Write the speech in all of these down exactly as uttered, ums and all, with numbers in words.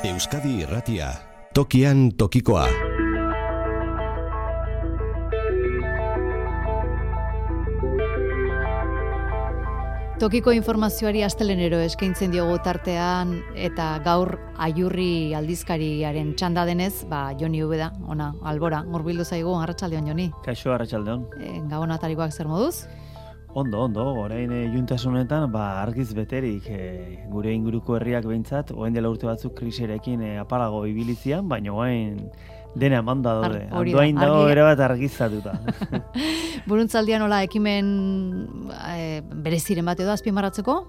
Euskadi Irratia, tokian tokikoa. Tokiko informazioari astelenero eskaintzen diogu tartean eta gaur Aiurri aldizkariaren txanda denez, ba Joni Ubeda, ona, albora, hurbildu zaigu, arratsaldeon Joni. Kaixo, arratsaldeon. E, Gabon atarikoak zer moduz? Ondo, ondo, orain e, juntasunetan, ba, argiz beterik e, gure inguruko herriak behintzat, orain dela urte batzuk krisiarekin e, apalago ibilizian, baina orain dena emanda daude. Andoain dago ere bat argizatuta. Buruntzaldian nola ekimen e, bereziren bat edo azpimarratzeko?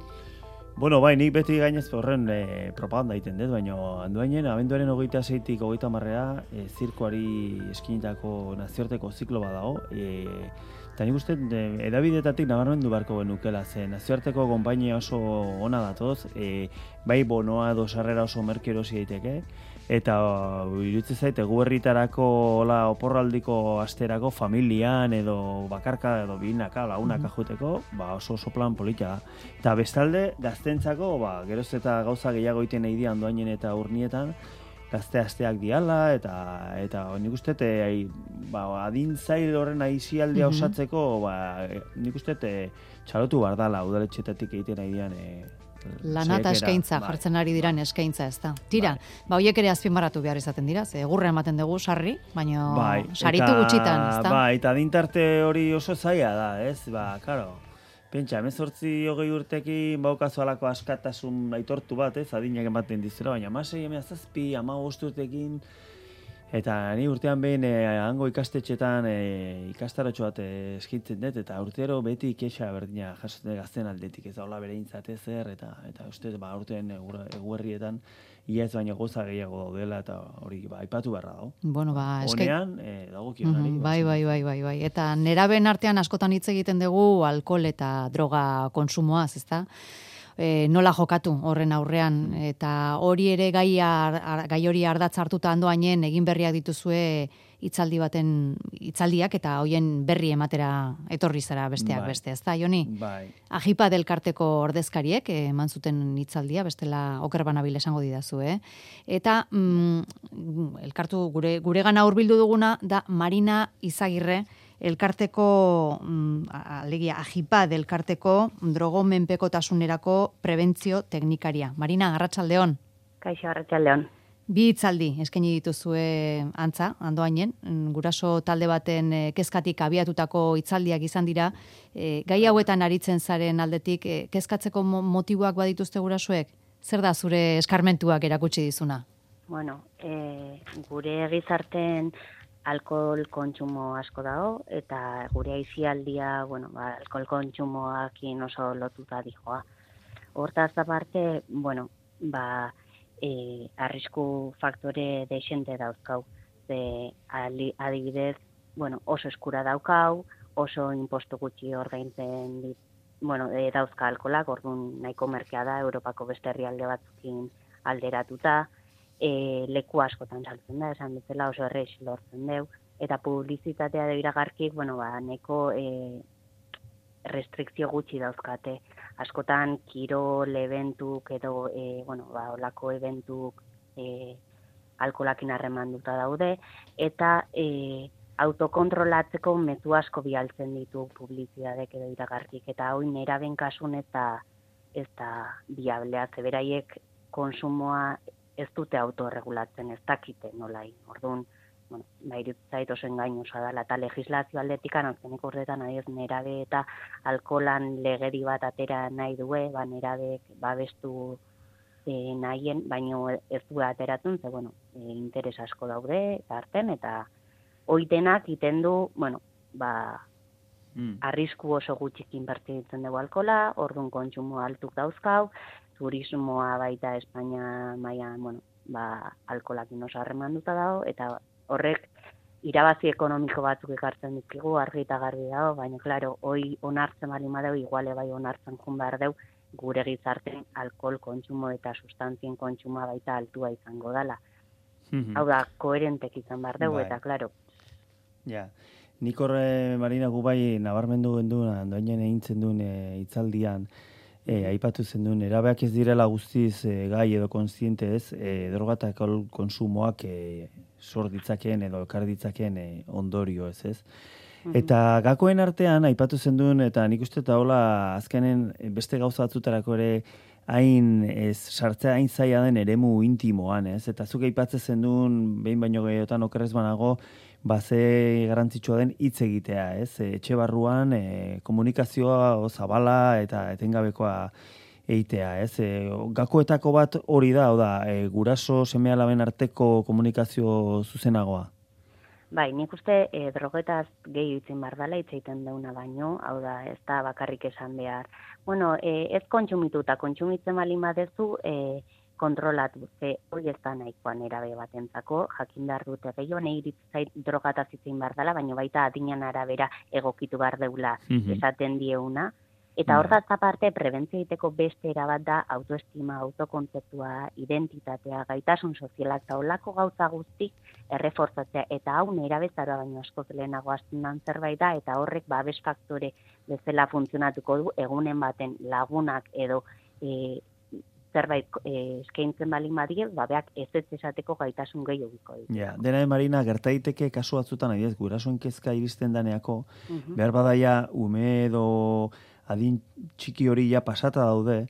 Bueno, bai, nik beti gainez horren e, propaganda egiten dut, baina Andoainen abenduaren hogeita seitik hogeita hamarrera e, zirkoari eskinitako nazioarteko ziklo bat dago. E, Eta nik uste, edabidetatik nabarmendu beharko genukela, ze nazioarteko konpainia oso ona datoz, e, bai bonoa edo sarrera oso merke erosi daiteke, eta iruditzen zait, egu herritarako oporraldiko asterako familian edo bakarka edo binaka, lagunaka juteko, ba oso oso plan polita da. Eta bestalde, gaztentzako, ba, geroz eta gauza gehiago iten nahi di Andoainen eta Urnietan, gazte asteak diala, eta eta nik uste, e, ba, adin zail horren aizialdia mm-hmm. osatzeko, ba, nik uste, e, txalotu bardala, udaletxetatik egiten nahi dian, e, lana eta eskaintza, bai, jartzen ari diran eskaintza, ez da. Tira, bai. Ba, hoiek ere azpimarratu behar izaten dira, ze egurra ematen dugu sarri, baina bai, saritu eta, gutxitan, ez da. Ba, eta adintarte hori oso zaila da, ez, ba, karo. Pentsa, hemezortzi hogei urtekin baukazu alako askatasun aitortu bat, ez, adinak ematen dizera, baina masei emezazpi, hamabost urtekin, eta ni urtean behin eh, hango ikastetxetan eh, ikastaratxo bat eh, eskitzen dut, eta urtero beti kexa berdina jasotzen gazten aldetik, ez da hola bere intzate zer, eta eta uste, ba, urtean eguerrietan ia ez baina goza gehiago daudela, eta hori ba, aipatu beharra dago. Bueno, ba, eskai... Honean, eh, dagokionari. Mm-hmm, bai, bai, bai, bai, bai. Eta neraben artean askotan hitz egiten dugu alkohol eta droga konsumoaz, ezta? E, nola jokatu horren aurrean, eta hori ere gaia, gai hori ardatz hartuta Andoainen egin berriak dituzue hitzaldi baten hitzaldiak eta hoien berri ematera etorri zara besteak bai. Beste, ezta Joni? Bai. Ajipa elkarteko ordezkariek eman zuten hitzaldia, bestela oker banabil esango didazu, eh? Eta mm, elkartu gure guregana hurbildu duguna da Marina Izagirre, elkarteko, mm, alegia, Ajipad elkarteko drogomenpekotasunerako prebentzio teknikaria. Marina, arratsaldeon. Kaixo, arratsaldeon. Bi hitzaldi eskaini dituzue antza, Andoainen, guraso talde baten kezkatik abiatutako hitzaldiak izan dira. E, gai hauetan aritzen zaren aldetik, e, kezkatzeko motiboak badituzte gurasoek? Zer da zure eskarmentuak erakutsi dizuna? Bueno, e, gure gizarten alkohol kontsumo asko dago, eta gure aisialdia, bueno, ba, alkohol kontsumoakin oso lotuta dijoa. Hortaz aparte, bueno, ba, e, arrisku faktore deixente dauzkau. Ze, adibidez, bueno, oso eskura daukau, oso impostu gutxi ordaintzen dit, bueno, e, dauzka alkolak, orduan nahiko merkea da, Europako beste herrialde batzukin alderatuta, E, leku askotan saltzen da, esan bezala oso errez lortzen deu, eta publizitatea da iragarkik, bueno, ba, neko e, restrikzio gutxi dauzkate. Askotan kirol eventuk edo, e, bueno, ba, olako eventuk e, alkolakin harremanduta daude, eta e, autokontrolatzeko mezu asko bialtzen ditu publizitateak edo iragarkik, eta hoi neraben kasun eta ez da biablea, zeberaiek konsumoa ez dute autorregulatzen, ez dakite nolai. Orduan, bueno, bairut zait oso engainosa dela, eta legislazio aldetik anazkenik urtetan adiez nerabe eta alkoholan legedi bat atera nahi due, ba, nerabek babestu e, nahien, baino ez du ateratzen, ze, bueno, e, interes asko daude, eta arten, eta oitenak iten du, bueno, ba, mm. arrisku oso gutxik inbertitzen dugu alkohola, orduan kontsumo altuk dauzkau, turismoa baita Espainia mailan, bueno, ba, alkoholakin oso harremanduta dago, eta horrek irabazi ekonomiko batzuk ekartzen dizkigu, argi eta garbi dago, baina, klaro, hoi onartzen bali madeu, iguale bai onartzen jun behar deu, gure gizarten alkohol kontsumo eta sustantzien kontsumoa baita altua izango dela. Mm-hmm. Hau da, koherentek izan behar deu, bai. Eta, klaro. Ja, nik horre, Marina, gu bai nabarmendu genduen, Andoainen egintzen duen hitzaldian, E, aipatu zen nerabeak ez direla guztiz e, gai edo kontziente ez, e, droga eta alkohol konsumoak e, sor ditzakeen edo ekar ditzakeen e, ondorio ez ez. Eta gakoen artean, aipatu zen duen, eta nik uste eta hola azkenen beste gauza batzutarako ere hain ez, sartzea hain zaila den eremu intimoan, ez? Eta zuk aipatzen zen duen, behin baino gehiotan okerrez banago, baze garantzitsua den hitz egitea, ez? Etxe barruan e, komunikazioa o, zabala eta etengabekoa eitea, ez? E, gakoetako bat hori da, hau da, e, guraso seme-alaben arteko komunikazio zuzenagoa. Bai, nik uste e, drogetaz gehi itzen bar dela hitz egiten deuna baino, hau da, ez da bakarrik esan behar. Bueno, e, ez kontsumitu eta kontsumitzen baldin badezu e, kontrolatu, ze hori ez da nahikoa nerabe batentzako, jakin behar dute gehiago, nahi iritzait drogataz itzen bar dela, baino baita adinan arabera egokitu behar deula mm-hmm. esaten dieuna. Eta hortaz aparte, prebentzio egiteko beste erabat da autoestima, autokontzeptua, identitatea, gaitasun sozialak eta olako gauza guztik errefortzatzea. Eta hau nerabezaroa baino askoz lehenago hasten dan zerbait da, eta horrek babes faktore bezala funtzionatuko du, egunen baten lagunak edo e, zerbait e, eskaintzen balin badie, babeak ez ez esateko gaitasun gehiagiko ditu. Ja, dena de Marina, gerta daiteke kasu batzutan, adiez, gurasoen kezka iristen daneako, uh-huh. behar badaia ume edo adin txiki hori ja pasata daude,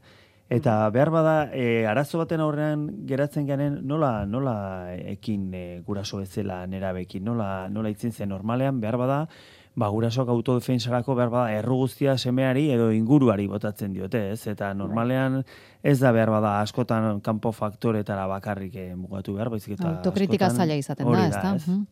eta behar bada e, arazo baten aurrean geratzen garen nola nola ekin e, guraso bezala nerabekin, nola nola itzen zen normalean behar bada ba gurasoak autodefensarako behar bada erru guztia semeari edo inguruari botatzen diote, ez? Eta normalean ez da behar bada askotan kanpo faktoretara bakarrik e, mugatu behar, baizik eta autokritika zaila izaten da, ezta? Ez?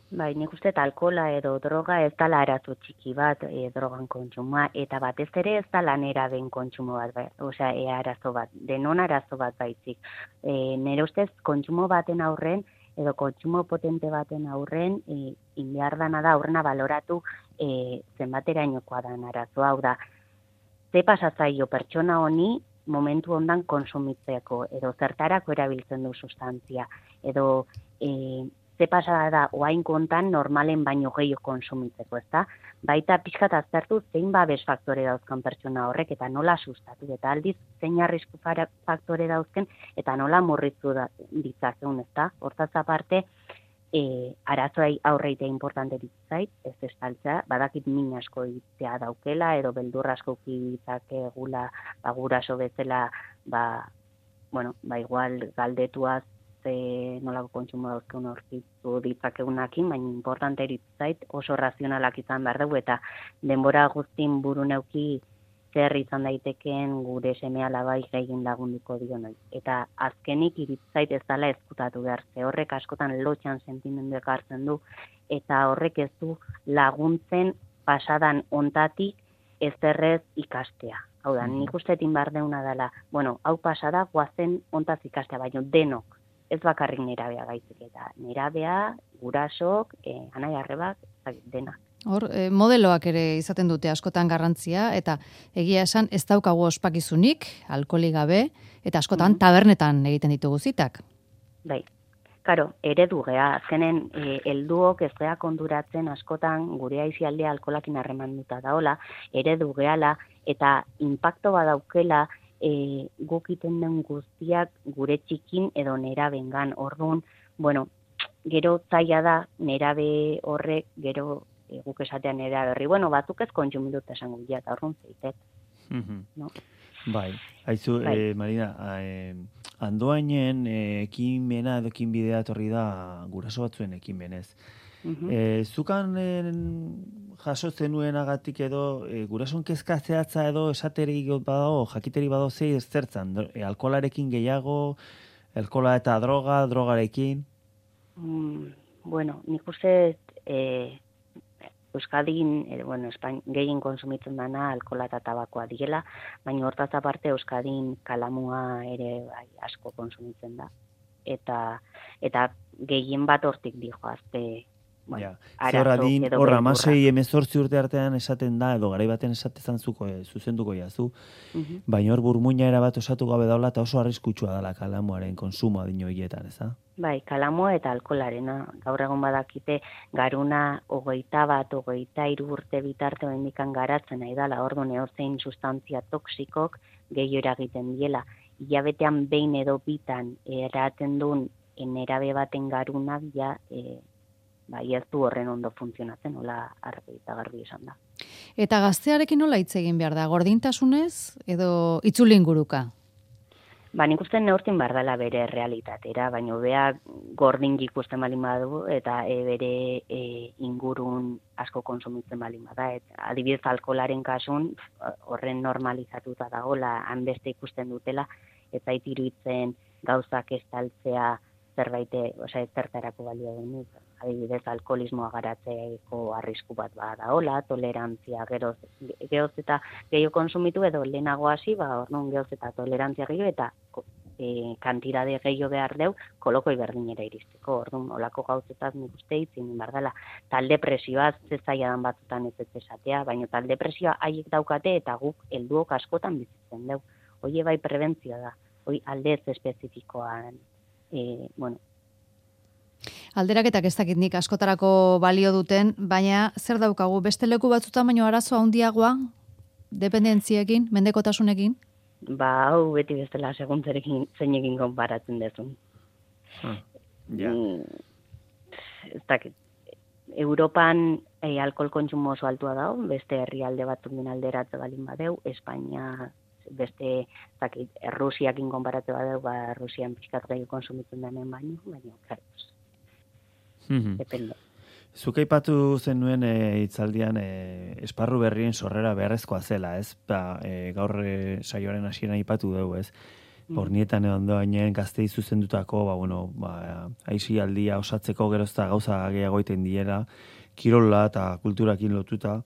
Bai, nik uste alkohola edo droga ez dala arazo txiki bat e, drogan kontsumoa, eta batez ere ez dala neraben kontsumo bat, bai, osea, e, arazo bat, denon arazo bat baizik. E, nire ustez, kontsumo baten aurren, edo kontsumo potente baten aurren, e, inbehar dana da aurrena baloratu e, zenbaterainokoa dan arazo, hau da, ze pasatzaio pertsona honi momentu ondan konsumitzeko, edo zertarako erabiltzen du sustantzia, edo e, ze pasada da oain kontan normalen baino gehiago konsumitzeko, ezta? Baita pixkat aztertu zein babes faktore dauzkan pertsona horrek eta nola sustatu, eta aldiz zein arrisku faktore dauzken eta nola murritzu da, ditzakeun, ezta? Hortaz aparte, e, arazoai aurreitea importante ditzait, ez estaltzea, badakit min asko ditzea daukela, edo beldur asko ditzakegula, ba, guraso bezala, ba, bueno, ba igual galdetuaz, e, nolako kontsumo dauzkeun horkitu ditzakegunakin, baina importante eritzait oso razionalak izan behar dugu, eta denbora guztin buru neuki zer izan daitekeen gure seme-alabai gehien lagunduko dionoi. Eta azkenik iritzait ez dela ezkutatu behar, ze horrek askotan lotxan sentimenduek hartzen du, eta horrek ez du laguntzen pasadan ontatik ez errez ikastea. Hau da, nik ustetin behar deuna dela, bueno, hau pasada guazen ontaz ikastea, baina denok, ez bakarrik nerabea gaizik, eta nerabea, gurasok, e, anai arrebak, denak. Hor, e, modeloak ere izaten dute askotan garrantzia, eta egia esan ez daukagu ospakizunik, alkoholik gabe, eta askotan mm-hmm. tabernetan egiten ditugu zitak. Bai, karo, eredu gea, azkenen e, helduok ez gea konduratzen askotan gure aizialdea alkoholakin harremanduta daola, eredu geala, eta impacto badaukela, E, guk iten den guztiak gure txikin edo nerabengan. Orduan, bueno, gero zaila da nerabe horrek, gero e, guk esatean nerabe horri, bueno, batzuk ez kontsumitut esango dira, eta orduan zeitet. Mm-hmm. No? Bai, haizu, bai. Eh, Marina, eh, andoainen eh, ekimena edo ekinbidea etorri da guraso batzuen ekimenez. Mm-hmm. E, zukan e, jaso zenuenagatik edo e, gurason kezka zehatza edo esateri badago, jakiteri badago zei ez zertzan, e, alkoholarekin gehiago, alkohola eta droga, drogarekin? Mm, bueno, nik uste e, Euskadin, e, bueno, Espain, gehien konsumitzen dana alkohola eta tabakoa diela, baina hortaz aparte Euskadin kalamua ere bai, asko konsumitzen da. Eta, eta gehien bat hortik dijoazte bueno, ja. arazo Zer adin, edo hor, beldurra. amasei emezortzi urte artean esaten da, edo garai baten esatezan zuko, e, zuzenduko jazu, Mhm. baina hor burmuina erabat osatu gabe daula, eta oso arriskutsua dela kalamuaren konsumo adino hietan, ez da? Bai, kalamo eta alkoholarena. Gaur egun badakite garuna hogeita bat, hogeita hiru urte bitarte oraindikan garatzen nahi dela. Orduan edozein sustantzia toxikok gehiago eragiten diela. Hilabetean behin edo bitan eraten duen nerabe baten garunak ja e, bai, ez du horren ondo funtzionatzen, hola argi eta garbi esan da. Eta gaztearekin nola hitz egin behar da? Gordintasunez edo itzulin guruka? Ba, nik uste neurtin behar dela bere realitatera, baina bea gordin ikusten balin badu eta e, bere e, ingurun asko konsumitzen balin bada. Et, adibidez alkoholaren kasun horren normalizatuta dagoela, hanbeste ikusten dutela, eta iruditzen gauzak estaltzea zerbait, osea, zertarako balio denik. Adibidez, alkoholismoa garatzeko arrisku bat badaola, tolerantzia geroz, geroz eta gehiago konsumitu edo lehenago hasi, ba, orduan geroz eta tolerantzia gehiago eta e, kantidade gehiago behar deu, kolokoi berdinera iristeko. Orduan, olako gauzetaz nik uste itzin behar dela. Talde presioa zezaiadan batzutan ez ez esatea, baina talde presioa haiek daukate eta guk helduok askotan bizitzen deu. Hoi bai prebentzioa da, hoi alde ez espezifikoan, e, bueno, Alderaketak ez dakit nik askotarako balio duten, baina zer daukagu beste leku batzutan baino arazo handiagoa dependentziekin, mendekotasunekin? Ba, hau beti bestela seguntzerekin zeinekin konparatzen dezun. Ah, ja. Mm, ez dakit. Europan e, alkohol kontsumo oso altua dago, beste herrialde batzuk alderatze balin badeu, Espainia beste, ez dakit, Rusiakin konparatze badeu, ba, Rusian pixkat gehiago konsumitzen denen baino, baina, claro, Mhm. depende. Zuk aipatu zenuen e, hitzaldian e, esparru berrien sorrera beharrezkoa zela, ez? Ba, e, gaur e, saioaren hasieran aipatu dugu, ez? Bornietan edo ondoainen gaztei zuzendutako, ba, bueno, ba, aisialdia osatzeko gerozta gauza gehiago egiten diela, kirola eta kulturakin lotuta.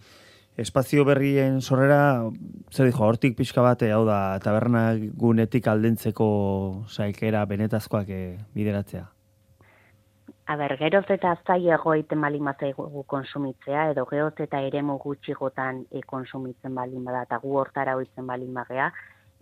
Espazio berrien sorrera, zer dijo, hortik pixka bate, hau da, taberna gunetik aldentzeko saikera benetazkoak e, bideratzea. A ber, geroz eta zailago egiten balin bazaigu konsumitzea, edo geroz eta eremu gutxigotan e, konsumitzen balin bada, eta gu hortara hoitzen balin bagea,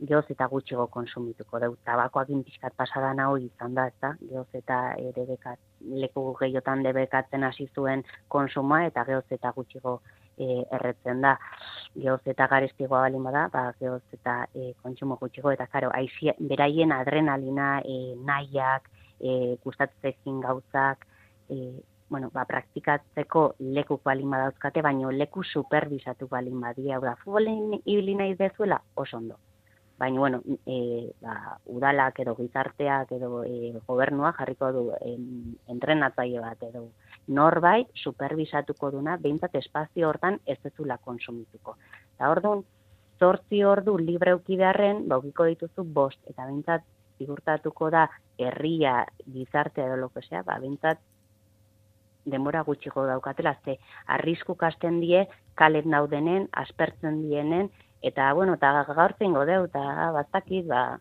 geroz eta gutxigo konsumituko deu. Tabakoakin pixkat pasadan hau izan da, ezta? Geroz eta e, debekat, leku gehiotan debekatzen hasi zuen konsumoa, eta geroz eta gutxigo e, erretzen da. Geroz eta garestigoa balin bada, ba, geroz eta e, kontsumo gutxigo, eta karo, aizia, beraien adrenalina, e, nahiak, E, gustatzekin gauzak, e, bueno, ba, praktikatzeko leku balin badauzkate, baino leku superbisatu balin badia. Hau da, futbolen ibili nahi dezuela, oso ondo. Baina, bueno, e, ba, udalak edo gizarteak edo e, gobernua jarriko du e, entrenatzaile bat edo norbait superbisatuko duna, behintzat espazio hortan ez dezula konsumituko. Eta orduan, zortzi ordu libre uki beharren, baukiko dituzu bost, eta behintzat zigurtatuko da herria, gizartea edo lo que sea, ba, bintzat denbora gutxiko daukatela, ze arrisku kasten die, kalet naudenen, aspertzen dienen, eta, bueno, eta gaurtzen godeu, eta bastakit, ba,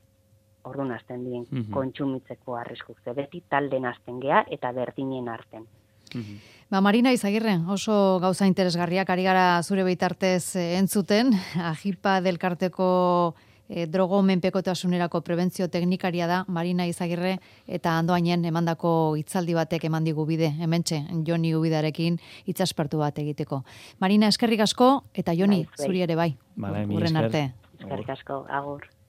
orduan hasten dien, mm-hmm. kontsumitzeko arriskuk, ze beti talden hasten gea, eta berdinen arten. Mm-hmm. Ba, Marina Izagirre, oso gauza interesgarriak ari gara zure bitartez entzuten, Ajipa delkarteko E, drogo menpekotasunerako prebentzio teknikaria da Marina Izagirre eta Andoainen emandako hitzaldi batek eman digu bide, hementxe Joni Ubidarekin hitzaspertu bat egiteko. Marina, eskerrik asko eta Joni, zuri ere bai. Vale, Urren arte. Eskerrik asko, agur.